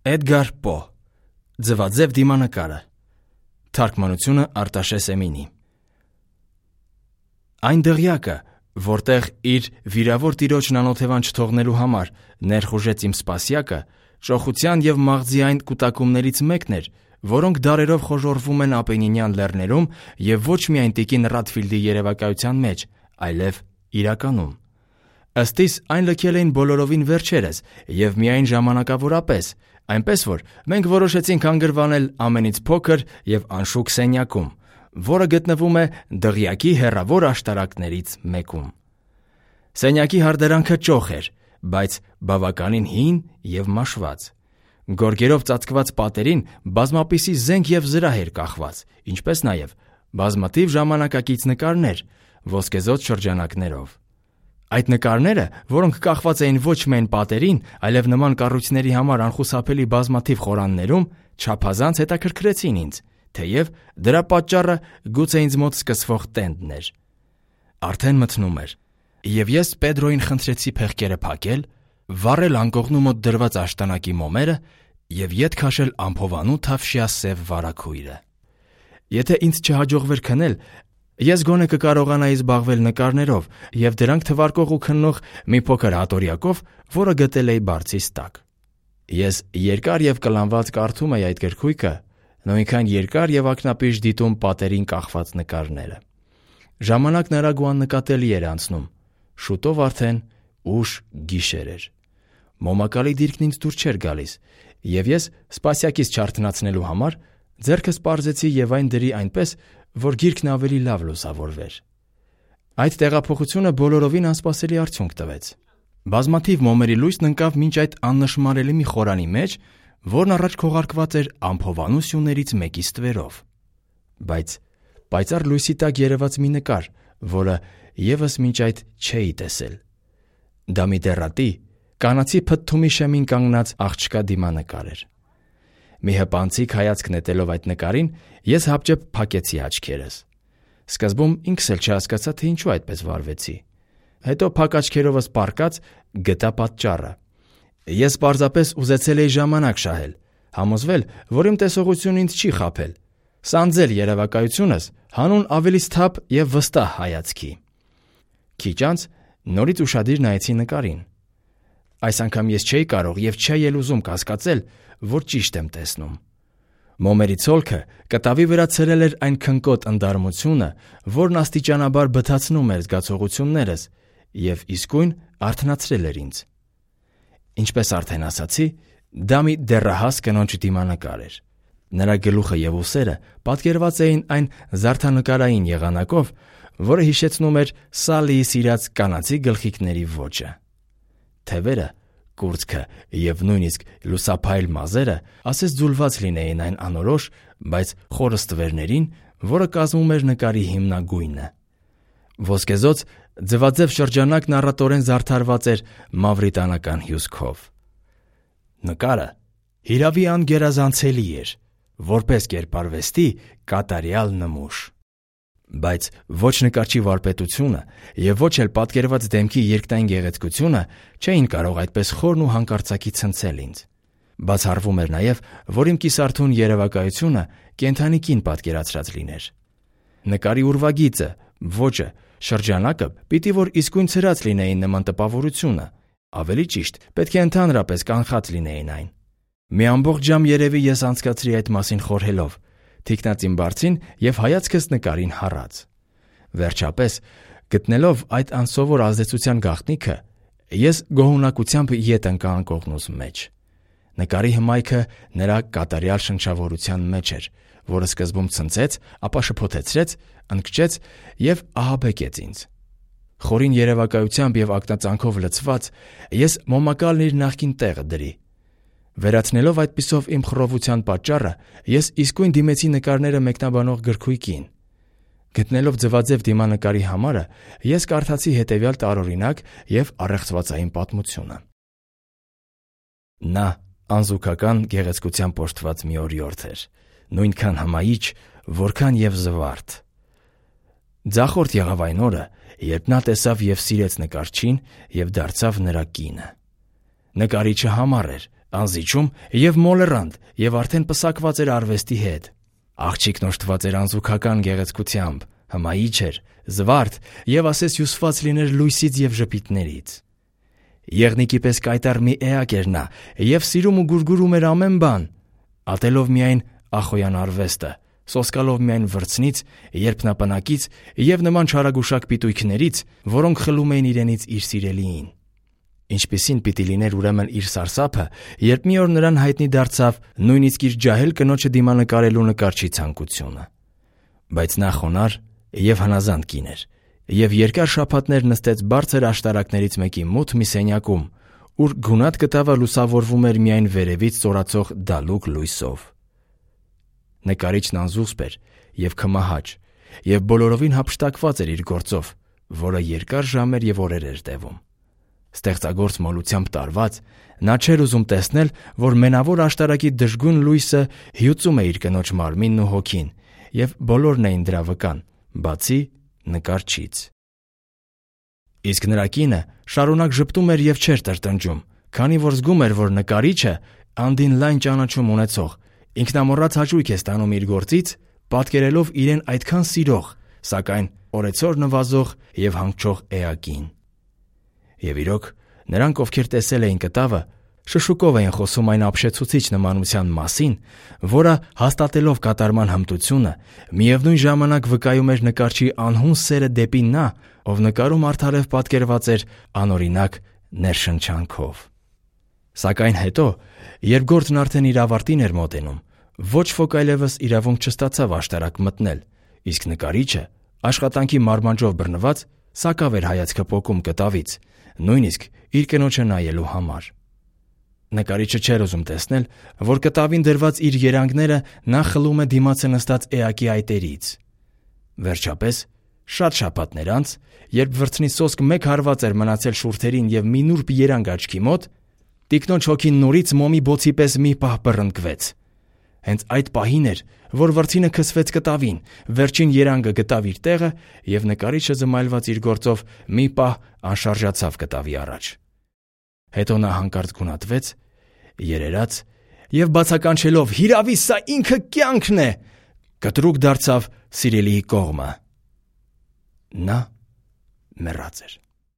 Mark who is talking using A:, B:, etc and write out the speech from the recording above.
A: Էդգար Պո Ձվաձև դիմանկարը Թարգմանությունը Արտաշես Էմինի Այն դղյակը, որտեղ իր վիրավոր տիրոջն անօթևան չթողնելու համար ներխուժեց իմ սպասյակը, շոխության և մաղձի այն կուտակումներից մեկն էր, որոնք դարերով խոժոռվում են Ապենինյան լեռներում և ոչ միայն տիկին Ռադֆիլդի երևակայության մեջ, այլև իրականում։ Ըստ իս, այն լքել էին բոլորովին վերջերս և միայն ժամանակավորապես, այնպես որ մենք որոշեցինք հանգրվանել ամենից փոքր և անշուք սենյակում, որը գտնվում է դղյակի հեռավոր աշտարակներից մեկում։ Սենյակի հարդարանքը ճոխ էր, բայց բավականին հին և մաշված։ Գորգերով ծածկված պատերին բազմապիսի զենք և զրահ էր կախված, ինչպես նաև բազմաթիվ ժամանակակից նկարներ ոսկեզօծ շրջանակներով։ Այդ նկարները, որոնք կախված էին ոչ միայն պատերին, այլև նման կառույցների համար անխուսափելի բազմաթիվ խորաններում, չափազանց հետաքրքրեցին ինձ, թեև դրա պատճառը գուցե ինձ մոտ սկսվող տենդն էր։ Արդեն մթնում էր, և ես Պետրոյին խնդրեցի փեղկերը փակել, վառել անկողնու մոտ դրված աշտանակի մոմերը և ետ քաշել ամփովանու թավշյա սև վարագույրը։ Եթե ինձ չհաջողվեր քնել, ես գոնե կկարողանայի զբաղվել նկարներով և դրանք թվարկող ու քննող մի փոքր հատորյակով, որը գտել էի բարձիս տակ։ Ես երկար և կլանված կարդում էի այդ գրքույկը, նույնքան երկար և ակնապիշ դիտում պատերին կախված նկարները։ Ժամանակն արագ ու աննկատելի էր անցնում, շուտով արդեն ուշ գիշեր էր։ Մոմակալի դիրքն ինձ դուր չէր գալիս, և ես սպասյակից չարթնացնելու համար ձեռքս պարզեցի և այն դրի այնպես, որ գիրքն ավելի լավ լուսավորվեր։ Այդ տեղափոխությունը բոլորովին անսպասելի արդյունք տվեց։ Բազմաթիվ մոմերի լույսն ընկավ մինչ այդ աննշմարելի մի խորանի մեջ, որն առաջ քողարկված էր ամփովանու սյուներից մեկի ստվերով։ Բայց պայծառ լույսի տակ երևաց մի նկար, որը ևս մինչ այդ չէի տեսել։ Դա մի դեռատի, կանացի փթթումի շեմին կանգնած աղջկա դիմանկար էր։ Մի հպանցիկ հայացք նետելով այդ նկարին, ես հապճեպ փակեցի աչքերս։ Սկզբում ինքս էլ չհասկացա, թե ինչու այդպես վարվեցի։ Հետո փակ աչքերովս պառկած գտա պատճառը։ Ես պարզապես ուզեցել էի ժամանակ շահել, համոզվել, որ իմ տեսողությունն ինձ չի խաբել, սանձել երևակայությունս հանուն ավելի սթափ և վստահ հայացքի։ Քիչ անց նորից ուշադիր նայեցի նկարին։ Այս անգամ ես չէի կարող և չէի էլ ուզում կասկածել, որ ճիշտ եմ տեսնում։ Մոմերի ցոլքը կտավի վրա ցրել էր այն քնկոտ ընդարմությունը, որն աստիճանաբար բթացնում էր զգացողություններս և իսկույն արթնացրել էր ինձ։ Ինչպես արդեն ասացի, դա մի դեռահաս կնոջ դիմանկար էր։ Նրա գլուխը և ուսերը պատկերված էին այն զարդանկարային եղանակով, որը հիշեցնում էր Սալիի սիրած կանացի գլխիկների ոճը։ Թևերը, կուրծքը և նույնիսկ լուսափայլ մազերը ասես ձուլված լինեին այն անորոշ, բայց խորը ստվերներին, որը կազմում էր նկարի հիմնագույնը։ Ոսկեզօծ ձվաձև շրջանակն առատորեն զարդարված էր մավրիտանական հյուսքով։ Նկարը հիրավի անգերազանցելի էր, որպես կերպարվեստի կատարյալ նմուշ։ Բայց ոչ նկարչի վարպետությունը և ոչ էլ պատկերված դեմքի երկնային գեղեցկությունը չէին կարող այդպես խորն ու հանկարծակի ցնցել ինձ։ Բացառվում էր նաև, որ իմ կիսարթուն երևակայությունը կենդանի կին պատկերացրած լիներ։ Նկարի ուրվագիծը, ոճը, շրջանակը պիտի որ իսկույն ցրած լինեին նման տպավորությունը, ավելի ճիշտ պետք է ընդհանրապես կանխած լինեին այն։ Մի ամբողջ ժամ երևի ես անցկացրի այդ մասին խորհելով, թիկնածին բարձին և հայացքս նկարին հառած։ Վերջապես, գտնելով այդ անսովոր ազդեցության գաղտնիքը, ես գոհունակությամբ ետ ընկա անկողնուս մեջ։ Նկարի հմայքը նրա կատարյալ շնչավորության մեջ էր, որը սկզբում ցնցեց, ապա շփոթեցրեց, ընկճեց և ահաբեկեց ինձ։ Խորին երևակայությամբ և ակնածանքով լցված, ես մոմակալն իր նախկին տեղը դրի։ Վերացնելով այդպիսով իմ խռովության պատճառը, ես իսկույն դիմեցի նկարները մեկնաբանող գրքույկին։ Գտնելով ձվաձև դիմանկարի համարը, ես կարդացի հետևյալ տարօրինակ և առեղծվածային պատմությունը։ Նա անզուգական գեղեցկությամբ օժտված մի օրիորդ էր, նույնքան հմայիչ, որքան և զվարթ։ Ձախորդ եղավ այն օրը, երբ նա տեսավ և սիրեց նկարչին և դարձավ նրա կինը։ Նկարիչը համառ էր, անզիջում եւ մոլեռանդ եւ արդեն պսակված էր արվեստի հետ։ Աղջիկն օժտված էր անզուգական գեղեցկությամբ, հմայիչ էր, զվարթ եւ ասես հյուսված լիներ լույսից եւ ժպիտներից։ Եղնիկի պես կայտառ մի էակ էր նա եւ սիրում ու գուրգուրում էր ամեն բան, ատելով միայն ախոյան արվեստը, սոսկալով միայն վրձնից, երբնապնակից եւ նման չարագուշակ պիտույքներից, որոնք խլում էին իրենից իր սիրելիին։ Ինչպիսին պիտի լիներ ուրեմն իր սարսափը, երբ մի օր նրան հայտնի դարձավ նույնիսկ իր ջահել կնոջը դիմանկարելու նկարչի ցանկությունը։ Բայց նա խոնար եւ հնազանդ կին էր, եւ երկար շաբաթներ նստեց բարձր աշտարակներից մեկի մութ մի սենյակում, ուր գունատ կտավը լուսավորվում էր միայն վերևից ծորացող դալուկ լույսով։ Նկարիչն անզուսպ էր եւ քմահաճ, եւ բոլորովին հափշտակված էր իր գործով, որը երկար ժամեր եւ օրեր էր տևում։ Ստեղծագործ մոլությամբ տարված, նա չէր ուզում տեսնել, որ մենավոր աշտարակի դժգույն լույսը հյուծում է իր կնոջ մարմինն ու հոգին, եւ բոլորն էին դրա վկան, բացի նկարչից։ Իսկ նրա կինը շարունակ ժպտում էր եւ չէր տրտնջում, քանի որ զգում էր, որ նկարիչը անդին լայն ճանաչում ունեցող, ինքնամոռաց հաճույք է ստանում իր գործից, պատկերելով իրեն այդքան սիրող, սակայն օրեցօր նվազող եւ հանգչող էակին։ Եվ իրոք, նրանք, ովքեր տեսել էին կտավը, շշուկով էին խոսում այն ապշեցուցիչ նմանության մասին, որը հաստատելով կատարման հմտությունը, միևնույն ժամանակ վկայում էր նկարչի անհուն սերը դեպի նա, ով նկարում արդարև պատկերված էր անօրինակ ներշնչանքով։ Սակայն հետո, երբ գործն արդեն իր ավարտին էր մոտենում, ոչ ոք այլևս իրավունք չստացավ աշտարակ մտնել, իսկ նկարիչը, աշխատանքի մարմանջով բռնված, սակավ էր հայացքը պոկում կտավից, նույնիսկ իր կնոջը նայելու համար։ Նկարիչը չէր ուզում տեսնել, որ կտավին դրված իր երանգները նա խլում է դիմացը նստած էակի այտերից։ Վերջապես, շատ շաբաթներ անց, երբ վրձնի սոսկ մեկ հարված էր մնացել շուրթերին եւ մի նուրբ երանգ աչքի մոտ, տիկնոջ հոգին նորից մոմի բոցի պես մի պահ բռնկվեց։ Հենց այդ պահին էր, որ վրձինը քսվեց կտավին, վերջին երանգը գտավ իր տեղը եւ նկարիչը զմայլված իր գործով մի պահ անշարժացավ կտավի առաջ։ Հետո նա հանկարծ գունատվեց, երերաց եւ բացականչելով «Հիրավի, սա ինքը կյանքն է», կտրուկ դարձավ սիրելիի կողմը։ Նա մեռած էր։